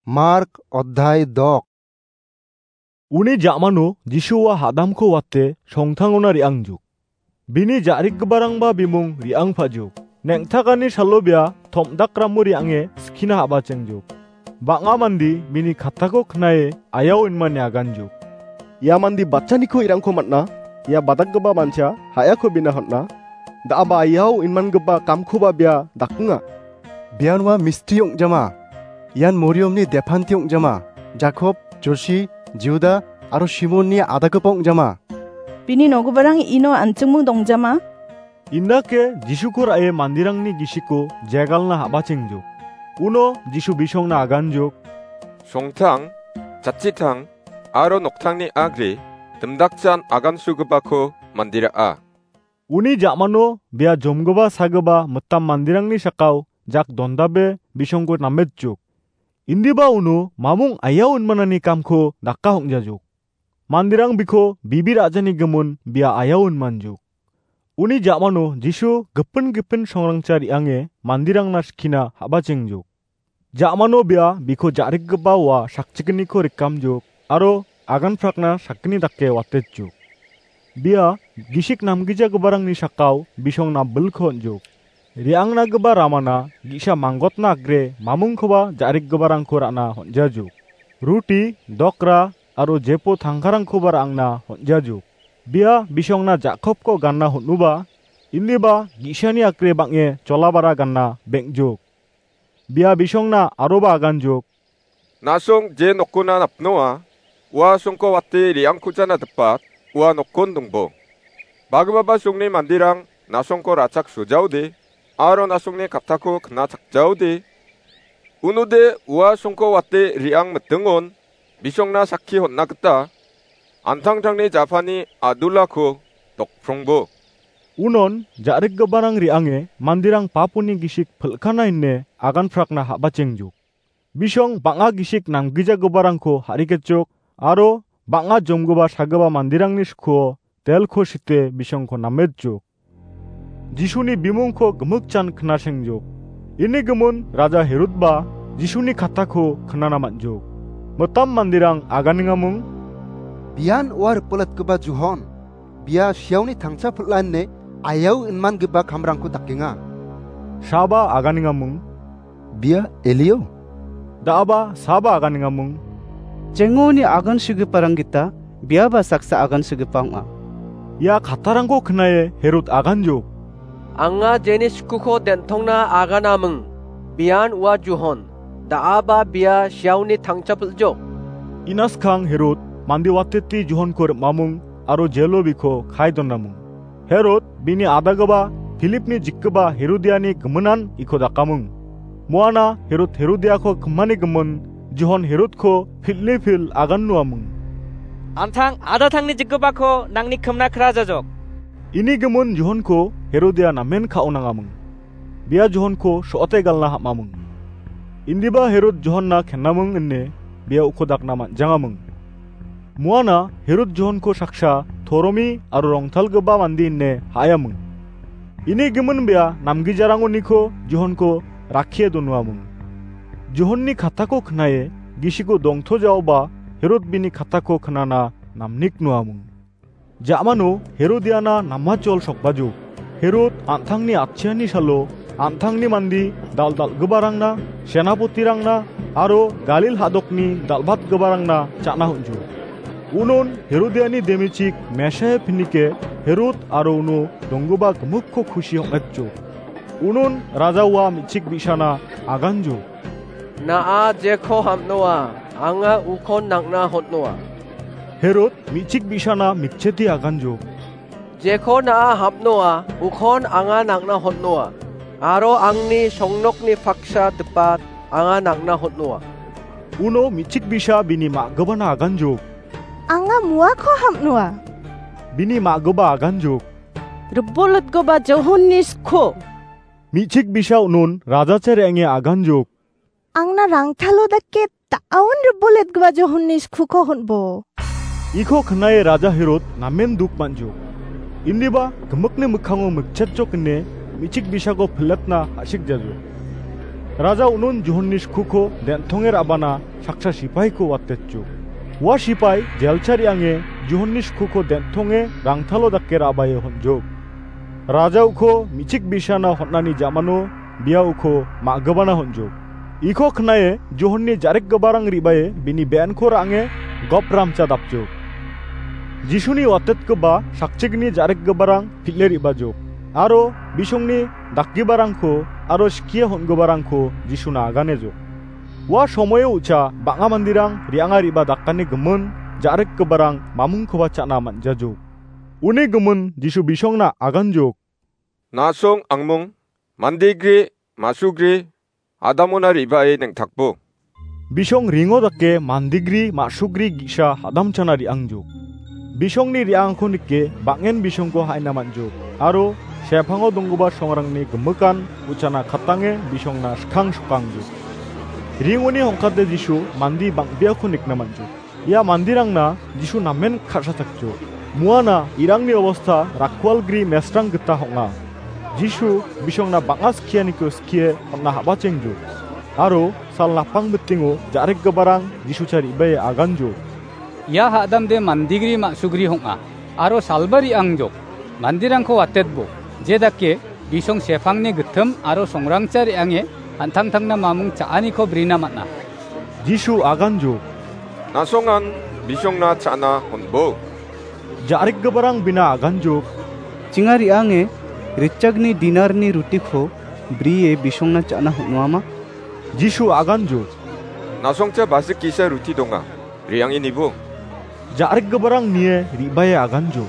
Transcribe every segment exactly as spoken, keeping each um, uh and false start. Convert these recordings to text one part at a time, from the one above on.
Mark odhai dok. Uni ja·mano Jisu ua hadamko wate songtangona re·angjuk. Bini ja·rikgiparangba bimung re·angpajuk. Neng·takani salo bia tom·dakramo re·ange skina ha·bachengjuk. Bang·a mande bini kattako knae ayao inmane aganjuk. Ia mande bachaniko irangko man·a, ia badakgipa mancha ha·yako bina hon·a. Da·aba ayao inmangipa kamkoba bia dakenga. Bian ua mistri ong·jama. Ian Moriomni depanti ong·jama. Jakob, Josi, Juda aro Simonni adagipa ong·jama. Bini nogiparang ino an·chingming dongjama. Indake Jisuko ra·e manderangni gisiko jegalna ha·bachengjuk. Uno Jisu bisongna aganjuk. Songtang, jatchitang, aro noktangni agre, dimdakchan agansugipako mandera·a. Uni ja·mano bia jomgipa sagipa mitam manderangni sakao jak dondabe bisongko nametjuk. Indiba uno mamung ayao inmanani kamko daka hong·jajuk. Manderang biko bibir a·jani gimin bia ayao inmanjuk. Uni ja·mano Jisu gipin gipin songrangcha re·ange manderangna skina ha·bachengjuk. Ja·mano bia biko ja·rikgipa ua sakchikgniko rikamjuk aro aganprakna sakgni dake watetjuk. Bia gisik namgijagiparangni sakao bisongna bilko on·juk. Re·angnagipa ramana ge·sa manggotna agre mamungkoba ja·rikgiparangko ra·na hon·jajuk. Ruti, dokra aro jepo tangkarangkoba ra·angna hon·jajuk. Bia bisongna Jakobko ganna hon·uba, indiba ge·sani agre bang·e jolabara ganna beng·juk. Bia bisongna aroba aganjuk. Na·song je nokona napnoa, ua songko wate re·angkujana dipat, ua nokon dongbo. Bagipaba songni manderang na·songko ra·chak sojaode, aro na·songni kattako knachakjaode. Unode ua songko wate re·ang mitingon bisongna sakki hon·na gita an·tangtangni japani a·dulako dokprongbo. Unon ja·rikgiparang re·ange manderang paponi gisik pilkana ine aganprakna ha·bachengjuk. Bisong bang·a gisik namgijagiparangko ha·riketjuk aro bang·a jomgipa sagipa manderangni skuo delko site bisongko nametjuk. Jisuni bimungko gimikjan knasengjuk. Ini gimin Raja Herodba Jisuni kattako knana man·juk. Mitam manderang aganengamung. Bian ua ripoletgipa Johon. Bia siaoni tangcha pil·ane ayao inmangipa kamrangko dakenga. Saba aganengamung. Bia Elio. Da·aba saba aganengamung. Jengoni agansigiparang gita biaba saksa agansigipa ong·a. Ia kattarangko knae Herod aganjok. Anga jeni skuko den·tongna aganaming. Bian ua Johon. Da·aba bia siaoni tangcha pil·jok. Inaskang Herod mande wateti Johonko rim·aming aro jelo biko kae donaming. Herod bini adagipa Filipni jikgipa Herodiani giminan iko dakaming. Muana Herod Herodiako kimani gimin Johon Herodko pil·ni pil agan nuaming. An·tang adatangni jikgipako nangni kimna kra jajok. Ini gimin Johonko Herodia namen ka·onangaming. Bia Johonko so·ote galna ham·aming. Indiba Herod Johonna kenaming ine bia uko dakna man·jangaming. Muana Herod Johonko saksa toromi aro rongtalgipa mande ine ha·ayaming. Ini gimin bia namgijarangoniko Johonko rakkie donuaming. Johonni kattako knae gisiko dongtojaoba Herod bini kattako knana namnik nuaming. Ja·mano Herodiana namachol sokbajok. Herod an·tangni atchiani salo an·tangni mande dal·dalgiparangna, senapotirangna aro Galil hadokni dal·batgiparangna cha·na hon·jo. Unon Herodiani demichik Mesaia pinike Herod aro uno donggipa gimikko kusi ong·etjo. Unon raja ua me·chik bi·sana aganjo. Na·a jeko ham·noa, anga ukon nang·na hon·noa. Herod me·chik bi·sana mikchete aganjo. Jeko na·a ham·noa, ukon anga nang·na hon·noa. Aro angni songnokni paksa dipat anga nang·na hon·noa. Uno me·chik bi·sa bini ma·gipana aganjo. Anga muako ham·noa. Bini ma·gipa aganjo. Ribolotgipa Johonni sko. Me·chik bi·sa unon rajacha re·ange aganjo. Angna rangtalo dake ta·aon riboletgipa Johonni skuko hon·bo. Iko knae raja Herod namen duk man·jo. Indiba gimikni mikkango mikchetjok ine me·chik bi·sako pilatna ha·sikjajo. Raja unon Johonni skuko den·tonge ra·bana saksa sipaiko watetjok. Ua sipai jelcha re·ange Johonni skuko den·tonge rangtalo dake ra·bae honjok. Raja uko me·chik bi·sana hon·ani ja·mano bia uko ma·gipana honjok. Iko knae Johonni ja·rikgiparang re·bae bini be·enko ra·ange gopramcha dapjok. Jisuni watetgipa sakchikni ja·rikgiparang pil·e re·bajok, aro bisongni dakgiparangko aro skie hon·giparangko Jisuna aganejok. Ua somoio u·cha bang·a manderang re·anga re·ba dakani gimin ja·rikgiparang mamingkoba cha·na man·jajok. Uni gimin Jisu bisongna aganjok. Na·song angmong, mandegri, ma·sugri, adamona re·bae neng·takbo. Bisong ringo dake mandegri ma·sugri ge·sa hadamchana re·angjok. Bisongni re·angako nike bang·en bisongko ha·ina man·jok, aro sepango donggipa songrangni gimikan uchana katange bisongna skang sokangjok. Ringoni hongkate Jisu mande bang·beako nikna man·jok. Ia manderangna Jisu namen ka·sachakjok. Muana irangni obosta rakkualgri mesrang gita ong·a. Jisu bisongna bang·a skianiko skie on·na habachengjok. Aro sal napang bitingo ja·rikgiparang Jisucha re·bae aganjok. Ia hadamde mandegri ma·sugri ong·a, aro salba re·angjok. Manderangko watetbo, jedake bisong sepangni gitim aro songrangcha re·ange an·tangtangna mamung cha·aniko brina man·a. Jisu aganjok. Na·songan bisongna cha·na honbo. Ja·rikgiparang bina aganjok. Chinga re·ange ritchakni dinarni rutiko brie bisongna cha·na hon·uama? Jisu aganjok. Na·songcha basik ge·sa ruti donga. Re·ange nibo. Ja·rikgiparang nie re·bae aganjok.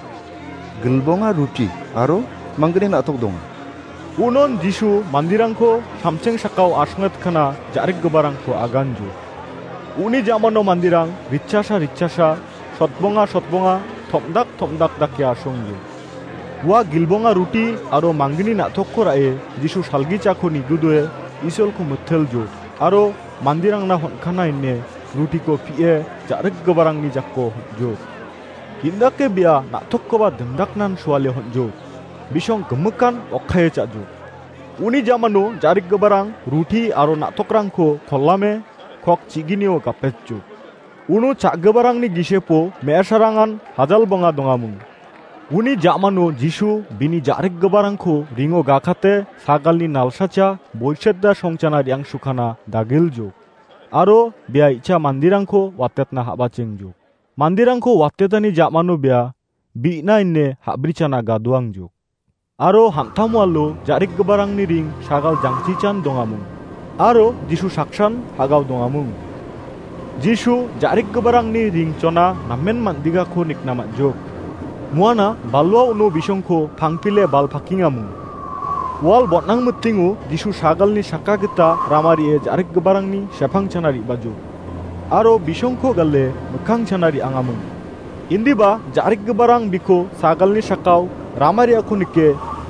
Gilbonga ruti aro manggni na·tok donga. Unon Jisu manderangko samcheng sakao asongetkana ja·rikgiparangko aganjok. Uni ja·mano manderang ritchasa ritchasa, sotbonga sotbonga, tom·dak tom·dak dake asongjok. Ua gilbonga ruti aro manggni na·tokko ra·e Jisu salgichako nigudoe Isolko miteljok, aro manderangna hon·kana ine rutiko pie ja·rikgiparangni jako hon·jok. Indake bia na·tokkoba dimdaknan suale hon·jok. Bisong gimikan okkae cha·jok. Uni ja·mano ja·rikgiparang ruti aro na·tokrangko kolame kok chiginio gapetjok. Uno cha·giparangni gisepo me·asarangan hajal bonga dongamung. Uni ja·mano Jisu bini ja·rikgiparangko ringo gakate sagalni nalsacha boicheta songchana re·angsukana dagiljok. Aro bia i·cha manderangko watetna habachengjok. Manderangko watetani ja·mano bia bi·na ine ha·brichana gadoangjok. Aro hamtam walo ja·rikgiparangni ring sagal jangchichan dongamung. Aro Jisu saksan hagao dongamung. Jisu ja·rikgiparangni ringchona namen man·digako nikna man·jok. Muana balwa uno bisongko pangpile bal pakengamung. Wal bon·ang mitingo Jisu sagalni saka gita rama re·e ja·rikgiparangni sepangchana re·bajok. Aro bisongko gale mikkangchana re·angamung. Indiba ja·rikgiparang biko sagalni sakao rama re·ako nike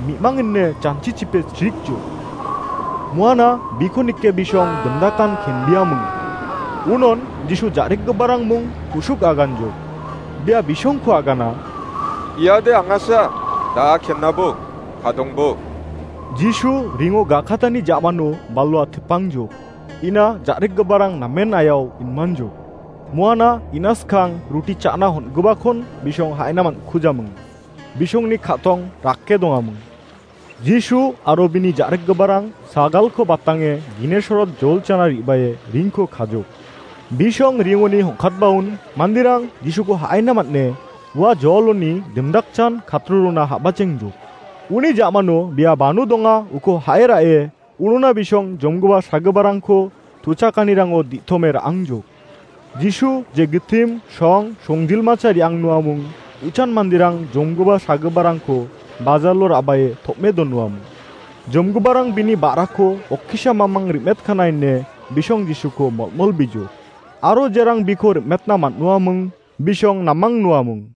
mi·mangine janchichipe chrikjok. Muana biko nike bisong dimdakan kenbiamung. Unon Jisu ja·rikgiparang mung kusuk aganjok. Bia bisongko agana. Iade angasa, da·a kennabo, kadongbo. Jisu ringo gakatani ja·mano balwa tipangjok. Ina ja·rikgiparang namen ayao inmanjok. Muana ina skang ruti cha·na hon·gipakon bisong ha·ina man·kujamung. Bisongni ka·tong rake dongamung. Jisu aro bini ja·rikgiparang sagalko batange Ginesorot jolchana re·bae ringko kajok. Bisong ringoni hongkatbaon manderang Jisuko ha·ina man·e ua joloni dimdakchan katrurona habachengjok. Uni ja·mano bia banu donga uko ha·e ra·e unona bisong jomgipa sagiparangko tuchakanirango di·tome ra·angjok. Jisu je gitim, song, songjilmacha re·angnoamung, uchan manderang jomgipa sagiparangko bajalo ra·bae tom·e donoamung. Jomgiparang bini ba·rako okkisa mamang rim·etkana ine bisong Jisuko molmolbijok. Aro jerang biko rim·etna man·noamung, bisong namang noamung.